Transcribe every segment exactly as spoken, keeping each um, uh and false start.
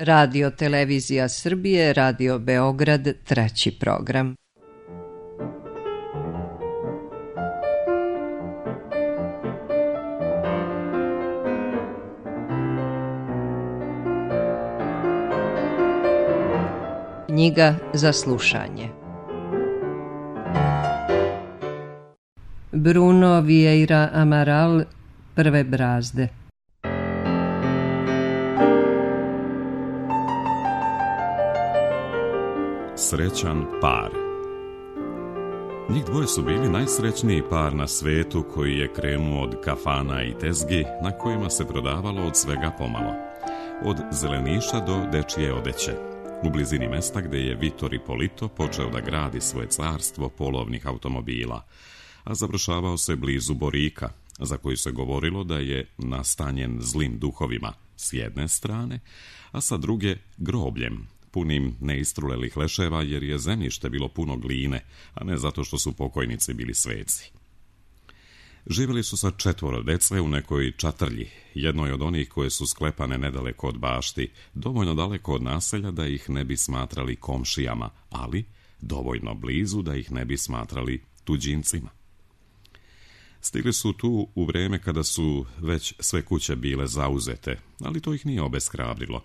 Radio Televizija Srbije, Radio Beograd, treći program. Knjiga za slušanje. Bruno Vieira Amaral, Prve brazde. Srećan par. Njih dvoje su bili najsrećniji par na svetu koji je krenuo od kafana i tezgi na kojima se prodavalo od svega pomalo. Od zeleniša do dečije odeće. U blizini mesta gde je Vitor Ippolito počeo da gradi svoje carstvo polovnih automobila, a završavao se blizu Borika, za koji se govorilo da je nastanjen zlim duhovima s jedne strane, a sa druge grobljem, punim neistrulelih leševa jer je zemljište bilo puno gline, a ne zato što su pokojnici bili sveci. Živjeli su sa četvoro dece u nekoj čatrlji, jednoj od onih koje su sklepane nedaleko od bašti, dovoljno daleko od naselja da ih ne bi smatrali komšijama, ali dovoljno blizu da ih ne bi smatrali tuđincima. Stigli su tu u vreme kada su već sve kuće bile zauzete, ali to ih nije obeshrabrilo.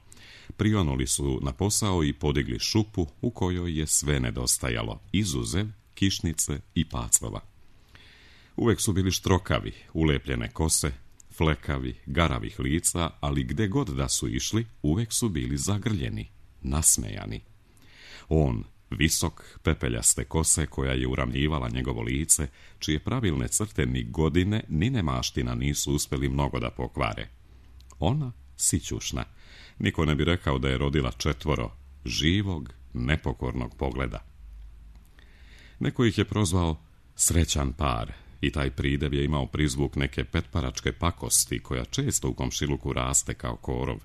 Prionuli su na posao i podigli šupu u kojoj je sve nedostajalo, izuzev kišnice i pacova. Uvek su bili štrokavi, ulepljene kose, flekavi, garavih lica, ali gde god da su išli, uvek su bili zagrljeni, nasmejani. On, visok, pepeljaste kose koja je uravnjivala njegovo lice, čije pravilne crte ni godine ni nemaština nisu uspeli mnogo da pokvare. Ona, sićušna, niko ne bi rekao da je rodila četvoro, živog, nepokornog pogleda. Neko ih je prozvao srećan par, i taj pridev je imao prizvuk neke petparačke pakosti koja često u komšiluku raste kao korov.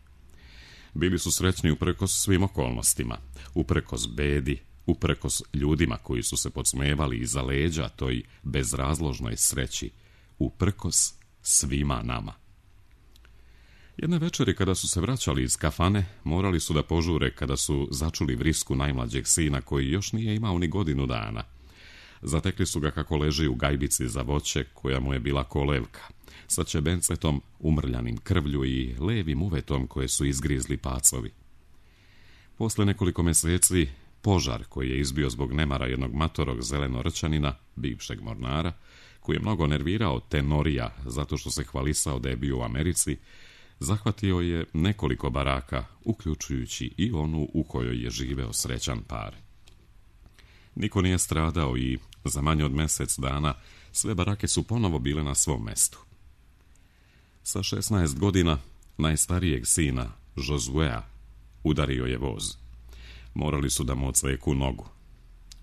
Bili su srećni uprkos svim okolnostima, uprkos bedi, uprkos ljudima koji su se podsmevali iza leđa toj bezrazložnoj sreći, uprkos svima nama. Jedne večeri kada su se vraćali iz kafane, morali su da požure kada su začuli vrisku najmlađeg sina koji još nije imao ni godinu dana. Zatekli su ga kako leži u gajbici za voće koja mu je bila kolevka, sa čebencetom umrljanim krvlju i levim uvetom koje su izgrizli pacovi. Posle nekoliko meseci, požar koji je izbio zbog nemara jednog matorog zelenorčanina, bivšeg mornara, koji je mnogo nervirao Tenorija zato što se hvalisao da je bio u Americi, zahvatio je nekoliko baraka, uključujući i onu u kojoj je živeo srećan par. Niko nije stradao i za manje od mesec dana sve barake su ponovo bile na svom mestu. Sa šesnaest godina najstarijeg sina, Josuea, udario je voz. Morali su da mu odseku nogu.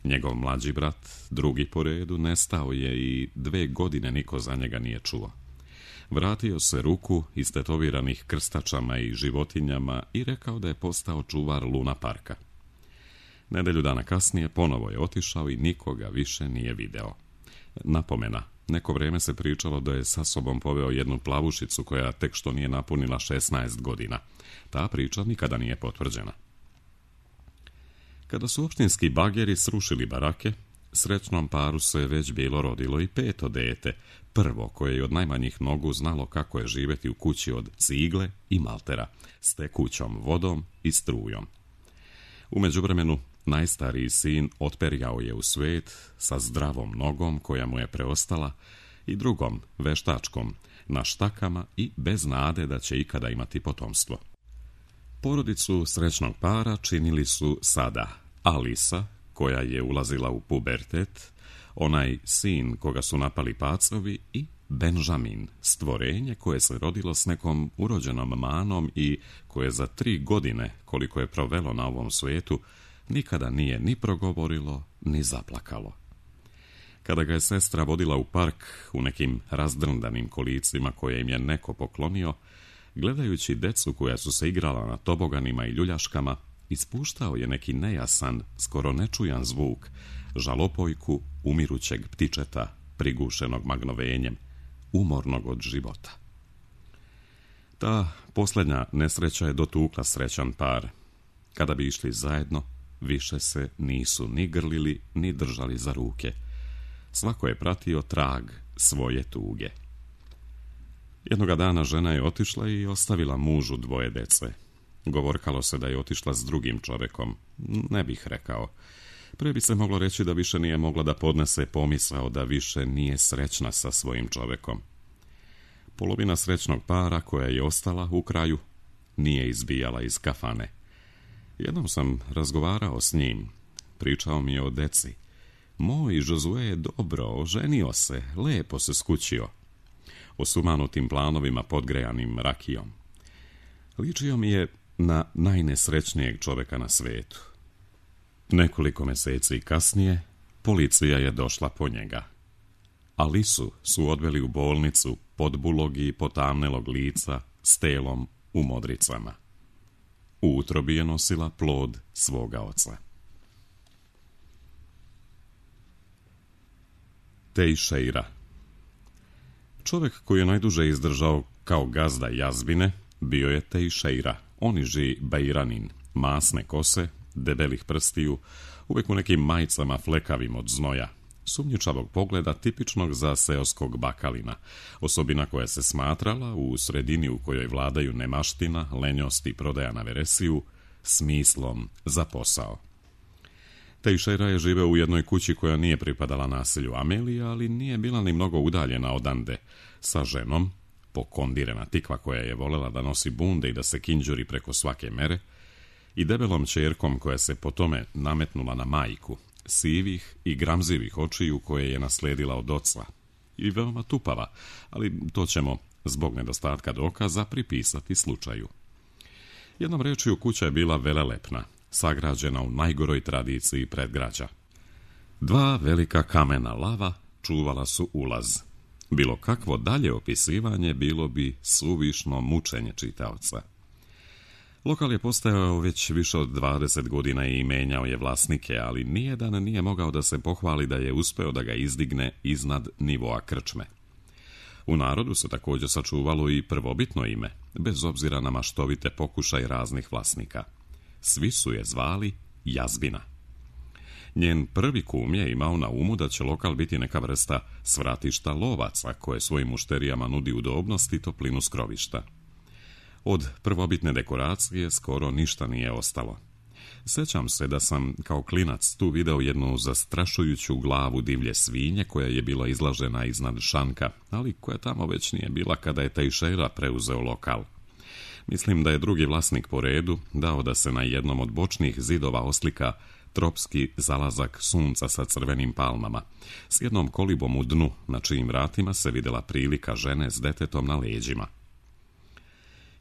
Njegov mlađi brat, drugi po redu, nestao je i dve godine niko za njega nije čuo. Vratio se ruku istetoviranih krstačama i životinjama i rekao da je postao čuvar Luna parka. Nedelju dana kasnije ponovo je otišao i nikoga više nije video. Napomena, neko vreme se pričalo da je sa sobom poveo jednu plavušicu koja tek što nije napunila šesnaest godina. Ta priča nikada nije potvrđena. Kada su opštinski bageri srušili barake, srećnom paru se već bilo rodilo i peto dete, prvo koje je od najmanjih nogu znalo kako je živjeti u kući od cigle i maltera, s tekućom vodom i strujom. U međuvremenu, najstariji sin otperjao je u svet sa zdravom nogom koja mu je preostala i drugom, veštačkom, na štakama i bez nade da će ikada imati potomstvo. Porodicu srećnog para činili su sada Alisa, koja je ulazila u pubertet, onaj sin koga su napali pacovi i Benjamin, stvorenje koje se rodilo s nekom urođenom manom i koje za tri godine, koliko je provelo na ovom svijetu, nikada nije ni progovorilo, ni zaplakalo. Kada ga je sestra vodila u park u nekim razdrndanim kolicima koje im je neko poklonio, gledajući decu koja su se igrala na toboganima i ljuljaškama, ispuštao je neki nejasan, skoro nečujan zvuk, žalopojku umirućeg ptičeta, prigušenog magnovenjem, umornog od života. Ta posljednja nesreća je dotukla srećan par. Kada bi išli zajedno, više se nisu ni grlili, ni držali za ruke. Svako je pratio trag svoje tuge. Jednoga dana žena je otišla i ostavila mužu dvoje dece. Govorkalo se da je otišla s drugim čovjekom. Ne bih rekao. Pre bi se moglo reći da više nije mogla da podnese pomisao da više nije srećna sa svojim čovjekom. Polovina srećnog para koja je ostala u kraju nije izbijala iz kafane. Jednom sam razgovarao s njim. Pričao mi je o deci. Moj Josue je dobro, oženio se, lepo se skućio. O sumanutim planovima podgrejanim rakijom. Ličio mi je na najnesrećnijeg čovjeka na svijetu. Nekoliko mjeseci kasnije policija je došla po njega. Alisu su odveli u bolnicu podbulog i potamnelog lica s telom u modricama. U utrobi je nosila plod svoga oca. Tejšeira. Čovjek koji je najduže izdržao kao gazda jazbine bio je Tejšeira, oniži Bejranin, masne kose, debelih prstiju, uvijek u nekim majicama flekavim od znoja, sumnjičavog pogleda tipičnog za seoskog bakalina, osobina koja se smatrala u sredini u kojoj vladaju nemaština, lenjost i prodaja na veresiju, smislom za posao. Tejšeira je živeo u jednoj kući koja nije pripadala naselju Amelija, ali nije bila ni mnogo udaljena odande, sa ženom, pokondirena tikva koja je volela da nosi bunde i da se kinđuri preko svake mere, i debelom ćerkom koja se po tome nametnula na majku, sivih i gramzivih očiju koje je nasledila od oca, i veoma tupava, ali to ćemo, zbog nedostatka dokaza, pripisati slučaju. Jednom rečju, kuća je bila velelepna, sagrađena u najgoroj tradiciji predgrađa. Dva velika kamena lava čuvala su ulaz. Bilo kakvo dalje opisivanje bilo bi suvišno mučenje čitaoca. Lokal je postajao već više od dvadeset godina i menjao je vlasnike, ali nijedan nije mogao da se pohvali da je uspeo da ga izdigne iznad nivoa krčme. U narodu se također sačuvalo i prvobitno ime, bez obzira na maštovite pokušaj raznih vlasnika. Svi su je zvali Jazbina. Njen prvi kum je imao na umu da će lokal biti neka vrsta svratišta lovaca koje svojim mušterijama nudi udobnost i toplinu skrovišta. Od prvobitne dekoracije skoro ništa nije ostalo. Sjećam se da sam kao klinac tu video jednu zastrašujuću glavu divlje svinje koja je bila izlažena iznad šanka, ali koja tamo već nije bila kada je Tejšeira preuzeo lokal. Mislim da je drugi vlasnik po redu dao da se na jednom od bočnih zidova oslika tropski zalazak sunca sa crvenim palmama, s jednom kolibom u dnu, na čijim vratima se vidjela prilika žene s detetom na leđima.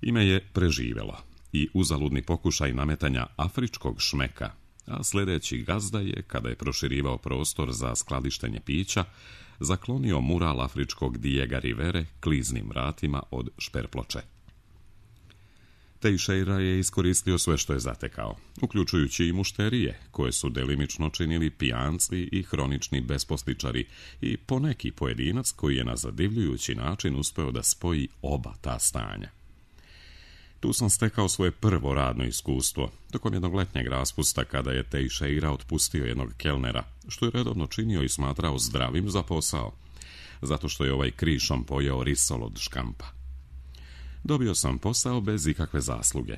Ime je preživjelo i uzaludni pokušaj nametanja afričkog šmeka, a sljedeći gazda je, kada je proširivao prostor za skladištenje pića, zaklonio mural afričkog Diega Rivere kliznim vratima od šperploče. Tejšeira je iskoristio sve što je zatekao, uključujući i mušterije, koje su delimično činili pijanci i hronični besposličari i poneki pojedinac koji je na zadivljujući način uspeo da spoji oba ta stanja. Tu sam stekao svoje prvo radno iskustvo, tokom jednog letnjeg raspusta kada je Tejšeira otpustio jednog kelnera, što je redovno činio i smatrao zdravim za posao, zato što je ovaj krišom pojeo risol od škampa. Dobio sam posao bez ikakve zasluge.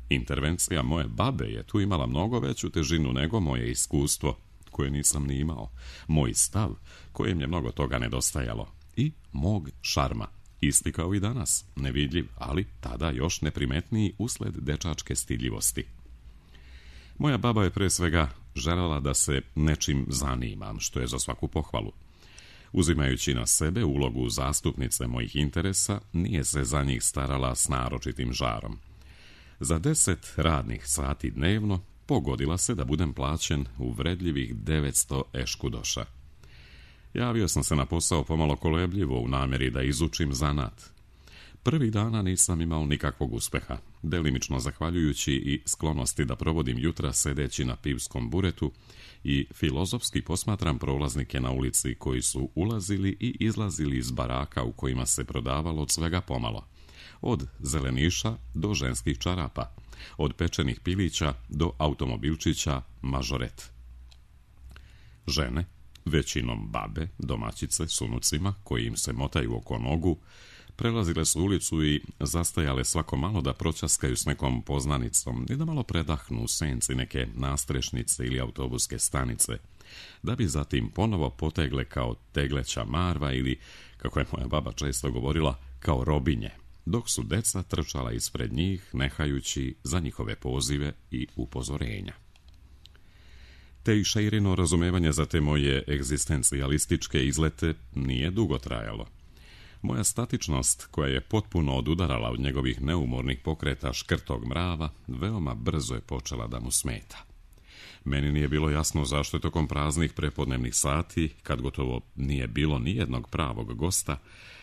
Intervencija moje babe je tu imala mnogo veću težinu nego moje iskustvo, koje nisam ni imao, moj stav, kojem je mnogo toga nedostajalo, i mog šarma, isti kao i danas, nevidljiv, ali tada još neprimetniji usled dečačke stidljivosti. Moja baba je pre svega željela da se nečim zanimam, što je za svaku pohvalu. Uzimajući na sebe ulogu zastupnice mojih interesa, nije se za njih starala s naročitim žarom. Za deset radnih sati dnevno pogodila se da budem plaćen uvredljivih devetsto eškudoša. Javio sam se na posao pomalo kolebljivo u namjeri da izučim zanat. Prvih dana nisam imao nikakvog uspeha, delimično zahvaljujući i sklonosti da provodim jutra sedeći na pivskom buretu i filozofski posmatram prolaznike na ulici koji su ulazili i izlazili iz baraka u kojima se prodavalo od svega pomalo. od zeleniša do ženskih čarapa, od pečenih pilića do automobilčića mažoret. Žene, većinom babe, domaćice s unucima koji im se motaju oko nogu, prelazile su ulicu i zastajale svako malo da pročaskaju s nekom poznanicom i da malo predahnu u senci neke nastrešnice ili autobuske stanice, da bi zatim ponovo potegle kao tegleća marva ili, kako je moja baba često govorila, kao robinje, dok su deca trčala ispred njih, nehajući za njihove pozive i upozorenja. Te i Šeirino razumevanje za te moje egzistencijalističke izlete nije dugo trajalo. Moja statičnost, koja je potpuno odudarala od njegovih neumornih pokreta škrtog mrava, veoma brzo je počela da mu smeta. Meni nije bilo jasno zašto je tokom praznih prepodnevnih sati, kad gotovo nije bilo nijednog pravog gosta,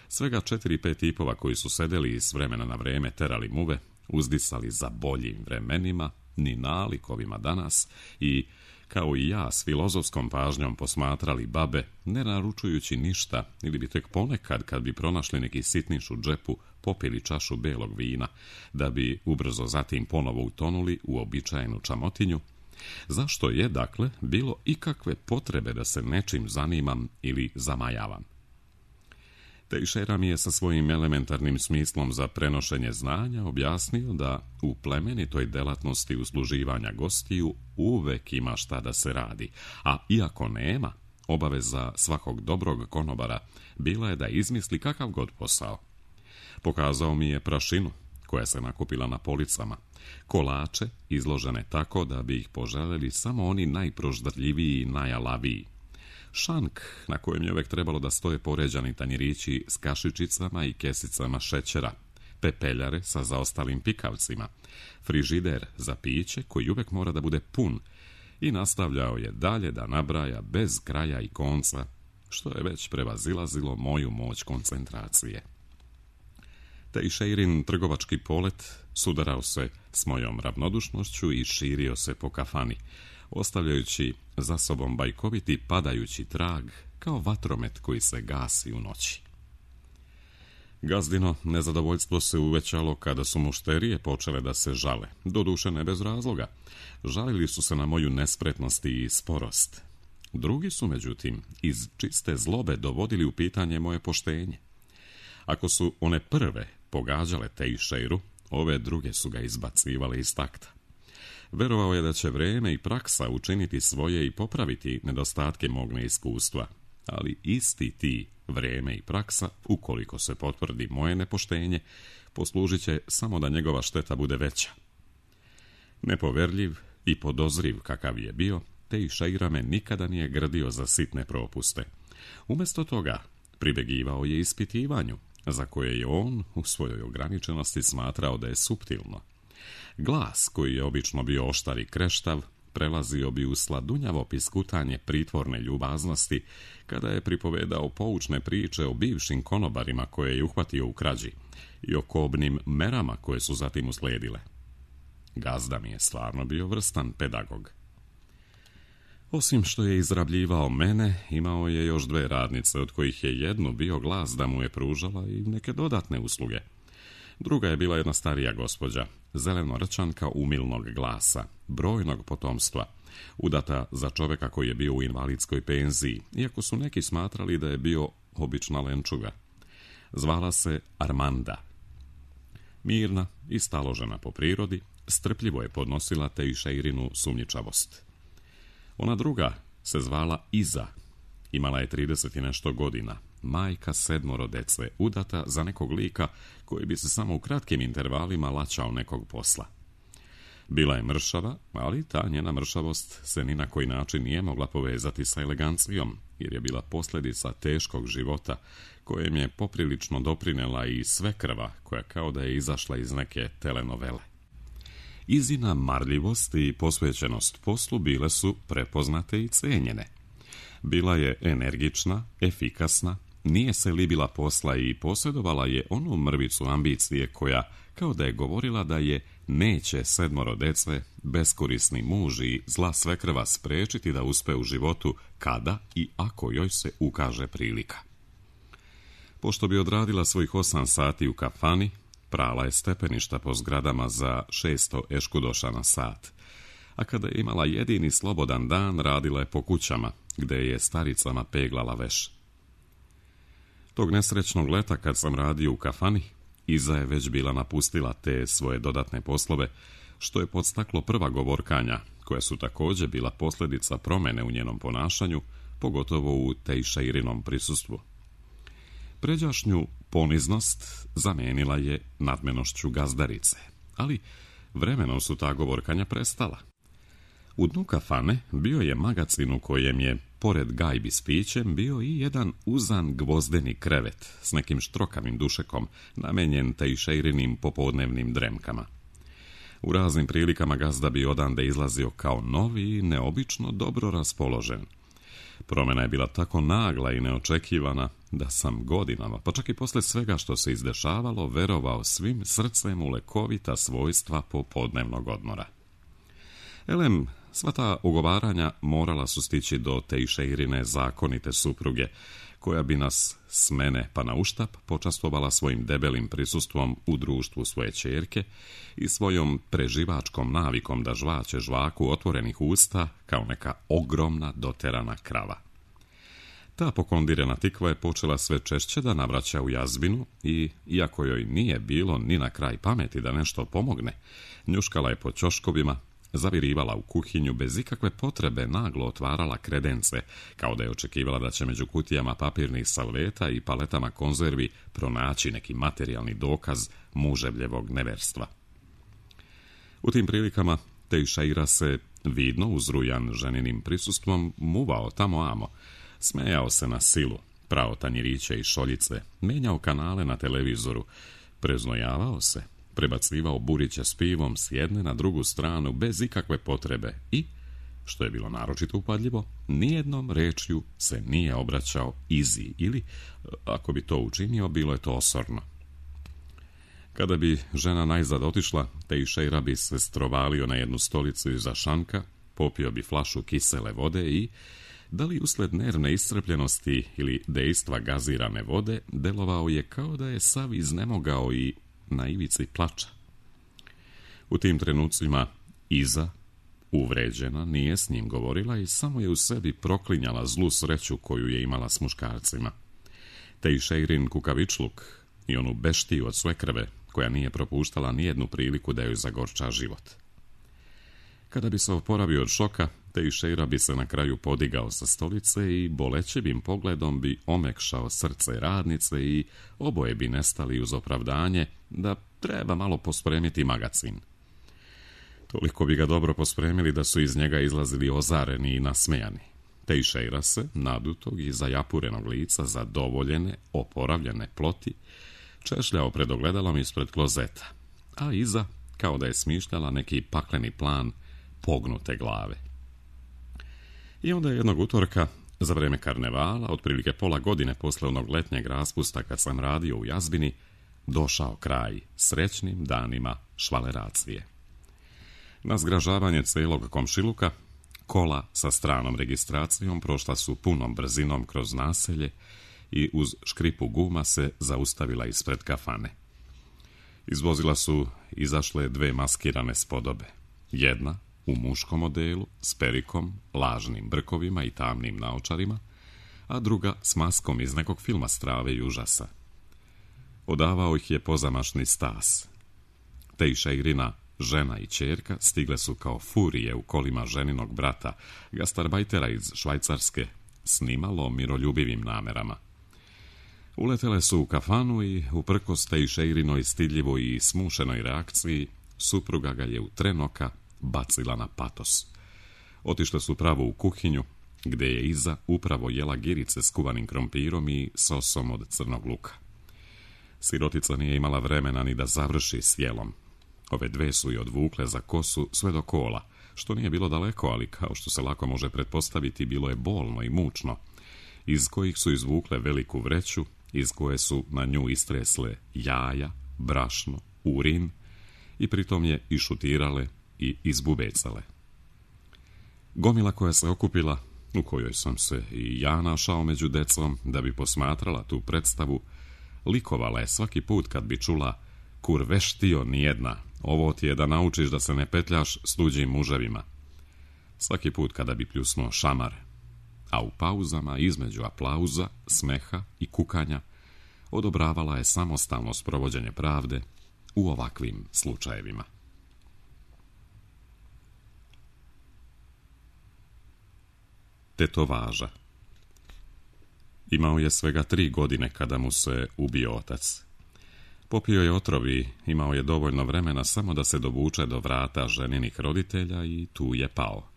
svega četiri pet tipova koji su sedeli i s vremena na vreme terali muve, uzdisali za boljim vremenima, ni nalikovima danas i, kao i ja, s filozofskom pažnjom posmatrali babe, ne naručujući ništa, ili bi tek ponekad, kad bi pronašli neki sitniš u džepu, popili čašu belog vina, da bi ubrzo zatim ponovo utonuli u običajnu čamotinju. Zašto je, dakle, bilo ikakve potrebe da se nečim zanimam ili zamajavam? Teixeira mi je sa svojim elementarnim smislom za prenošenje znanja objasnio da u plemenitoj delatnosti usluživanja gostiju uvek ima šta da se radi, a iako nema, obaveza svakog dobrog konobara bila je da izmisli kakav god posao. Pokazao mi je prašinu koja se nakupila na policama, kolače izložene tako da bi ih poželjeli samo oni najproždarljiviji i najalaviji, šank na kojem je uvek trebalo da stoje poređani tanjirići s kašičicama i kesicama šećera, pepeljare sa zaostalim pikavcima, frižider za piće koji uvek mora da bude pun, i nastavljao je dalje da nabraja bez kraja i konca, što je već prevazilazilo moju moć koncentracije. Teixeirin trgovački polet sudarao se s mojom ravnodušnošću i širio se po kafani, ostavljajući za sobom bajkoviti padajući trag kao vatromet koji se gasi u noći. Gazdino nezadovoljstvo se uvećalo kada su mušterije počele da se žale, doduše ne bez razloga. Žalili su se na moju nespretnost i sporost. Drugi su, međutim, iz čiste zlobe dovodili u pitanje moje poštenje. Ako su one prve pogađale Teixeiru, ove druge su ga izbacivale iz takta. Verovao je da će vreme i praksa učiniti svoje i popraviti nedostatke mog neiskustva, ali isti ti vreme i praksa, ukoliko se potvrdi moje nepoštenje, poslužit će samo da njegova šteta bude veća. Nepoverljiv i podozriv kakav je bio, Teixeira me nikada nije grdio za sitne propuste. Umjesto toga pribegivao je ispitivanju, za koje je on u svojoj ograničenosti smatrao da je suptilno. Glas, koji je obično bio oštar i kreštav, prelazio bi u sladunjavo piskutanje pritvorne ljubaznosti kada je pripovedao poučne priče o bivšim konobarima koje je uhvatio u krađi i o kobnim merama koje su zatim usledile. Gazda mi je stvarno bio vrstan pedagog. Osim što je izrabljivao mene, imao je još dve radnice, od kojih je jednu bio glas da mu je pružala i neke dodatne usluge. Druga je bila jedna starija gospođa, zelenorčanka umilnog glasa, brojnog potomstva, udata za čoveka koji je bio u invalidskoj penziji, iako su neki smatrali da je bio obična lenčuga. Zvala se Armanda. Mirna i staložena po prirodi, strpljivo je podnosila Teixeirinu sumnjičavost. Ona druga se zvala Iza. Imala je trideset i nešto godina, majka sedmoro dece, udata za nekog lika koji bi se samo u kratkim intervalima laćao nekog posla. Bila je mršava, ali ta njena mršavost se ni na koji način nije mogla povezati sa elegancijom, jer je bila posljedica teškog života, kojem je poprilično doprinela i svekrva, koja kao da je izašla iz neke telenovele. Izina marljivost i posvećenost poslu bile su prepoznate i cenjene. Bila je energična, efikasna, nije se libila posla i posjedovala je onu mrvicu ambicije koja, kao da je govorila da je neće sedmoro dece, beskorisni muž i zla svekrva sprečiti da uspe u životu kada i ako joj se ukaže prilika. Pošto bi odradila svojih osam sati u kafani, prala je stepeništa po zgradama za šesto eškudoša na sat, a kada je imala jedini slobodan dan, radila je po kućama, gde je staricama peglala veš. Tog nesrećnog leta, kad sam radio u kafani, Iza je već bila napustila te svoje dodatne poslove, što je podstaklo prva govorkanja, koja su također bila posljedica promjene u njenom ponašanju, pogotovo u Tejšeirinom prisustvu. Pređašnju poniznost zamijenila je nadmenošću gazdarice, ali vremenom su ta govorkanja prestala. U dnu kafane bio je magacin u kojem je, pored gajbi s pićem, bio i jedan uzan gvozdeni krevet s nekim štrokavim dušekom, namenjen Tejšeirinim popodnevnim dremkama. U raznim prilikama gazda bi odande izlazio kao novi i neobično dobro raspoložen. Promjena je bila tako nagla i neočekivana da sam godinama, pa čak i posle svega što se izdešavalo, verovao svim srcem u lekovita svojstva popodnevnog odmora. Elem, sva ta ugovaranja morala su stići do Tejšeirine zakonite supruge, koja bi nas s mene pa na uštap počastvovala svojim debelim prisustvom u društvu svoje ćerke i svojom preživačkom navikom da žvaće žvaku otvorenih usta kao neka ogromna doterana krava. Ta pokondirena tikva je počela sve češće da navraća u jazbinu i, iako joj nije bilo ni na kraj pameti da nešto pomogne, njuškala je po ćoškovima, zavirivala u kuhinju, bez ikakve potrebe naglo otvarala kredence, kao da je očekivala da će među kutijama papirnih salveta i paletama konzervi pronaći neki materijalni dokaz muževljevog neverstva. U tim prilikama Tejšeira se, vidno uzrujan ženinim prisustvom, muvao tamo amo, smejao se na silu, prao tanjiriće i šoljice, menjao kanale na televizoru, preznojavao se, prebacivao buriće s pivom s jedne na drugu stranu bez ikakve potrebe i, što je bilo naročito upadljivo, nijednom rečju se nije obraćao Izi ili, ako bi to učinio, bilo je to osorno. Kada bi žena najzad otišla, Tejšeira bi se strovalio na jednu stolicu iza šanka, popio bi flašu kisele vode i, da li usled nervne iscrpljenosti ili dejstva gazirane vode, delovao je kao da je sav iznemogao i na ivici plača. U tim trenucima Iza, uvređena, nije s njim govorila i samo je u sebi proklinjala zlu sreću koju je imala s muškarcima. Tejšeirin kukavičluk i onu beštiju od svekrve, koja nije propuštala nijednu priliku da joj zagorča život. Kada bi se oporavio od šoka, Tejšeira bi se na kraju podigao sa stolice i bolećevim pogledom bi omekšao srce radnice i oboje bi nestali uz opravdanje da treba malo pospremiti magacin. Toliko bi ga dobro pospremili da su iz njega izlazili ozareni i nasmejani. Tejšeira se, nadutog i zajapurenog lica, zadovoljene, oporavljene ploti, češljao pred ogledalom ispred klozeta, a Iza, kao da je smišljala neki pakleni plan, pognute glave. I onda jednog utorka, za vreme karnevala, otprilike pola godine posle onog letnjeg raspusta kad sam radio u jazbini, došao kraj srećnim danima švaleracije. Na zgražavanje celog komšiluka, kola sa stranom registracijom prošla su punom brzinom kroz naselje i uz škripu guma se zaustavila ispred kafane. Iz vozila su izašle dve maskirane spodobe. Jedna u muškom modelu, s perikom, lažnim brkovima i tamnim naočarima, a druga s maskom iz nekog filma strave i užasa. Odavao ih je pozamašni stas. Tejšeirina, žena i ćerka, stigle su kao furije u kolima ženinog brata, gastarbajtera iz Švajcarske, s nimalo miroljubivim namerama. Uletele su u kafanu i, uprkos Tejšeirinoj stidljivoj i smušenoj reakciji, supruga ga je u tren oka bacila na patos. Otišle su pravo u kuhinju, gde je Iza upravo jela girice s kuvanim krompirom i sosom od crnog luka. Sirotica nije imala vremena ni da završi s jelom. Ove dve su i odvukle za kosu sve do kola, što nije bilo daleko, ali kao što se lako može pretpostaviti, bilo je bolno i mučno, iz kojih su izvukle veliku vreću, iz koje su na nju istresle jaja, brašno, urin i pritom je išutirale i izbubecale. Gomila koja se okupila, u kojoj sam se i ja našao među decom da bi posmatrala tu predstavu, likovala je svaki put kad bi čula kur veštio nijedna, ovo ti je da naučiš da se ne petljaš s tuđim muževima. Svaki put kada bi pljusnuo šamar, a u pauzama između aplauza, smeha i kukanja odobravala je samostalno sprovođenje pravde u ovakvim slučajevima. Tetovaža. Imao je svega tri godine kada mu se ubio otac. Popio je otrov i imao je dovoljno vremena samo da se dovuče do vrata ženinih roditelja i tu je pao.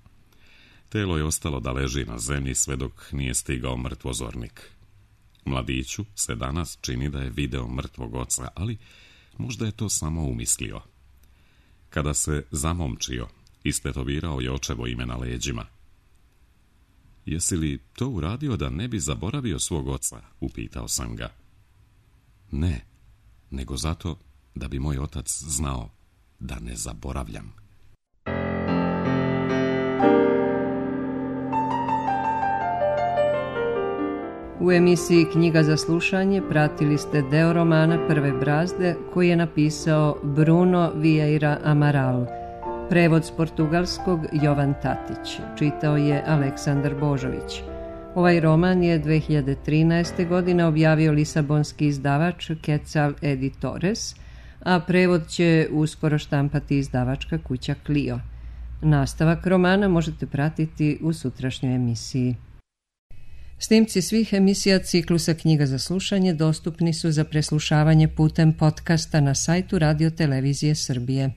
Telo je ostalo da leži na zemlji sve dok nije stigao mrtvozornik. Mladiću se danas čini da je video mrtvog oca, ali možda je to samo umislio. Kada se zamomčio, istetovirao je očevo ime na leđima. Jesi li to uradio da ne bi zaboravio svog oca? Upitao sam ga. Ne, nego zato da bi moj otac znao da ne zaboravljam. U emisiji Knjiga za slušanje pratili ste deo romana Prve brazde koji je napisao Bruno Vieira Amaral. Prevod s portugalskog Jovan Tatić. Čitao je Aleksandar Božović. Ovaj roman je dve hiljade trinaeste. godine objavio lisabonski izdavač Quetzal Editores, a prevod će uskoro štampati izdavačka kuća Clio. Nastavak romana možete pratiti u sutrašnjoj emisiji. Snimci svih emisija ciklusa Knjiga za slušanje dostupni su za preslušavanje putem podcasta na sajtu Radio Televizije Srbije.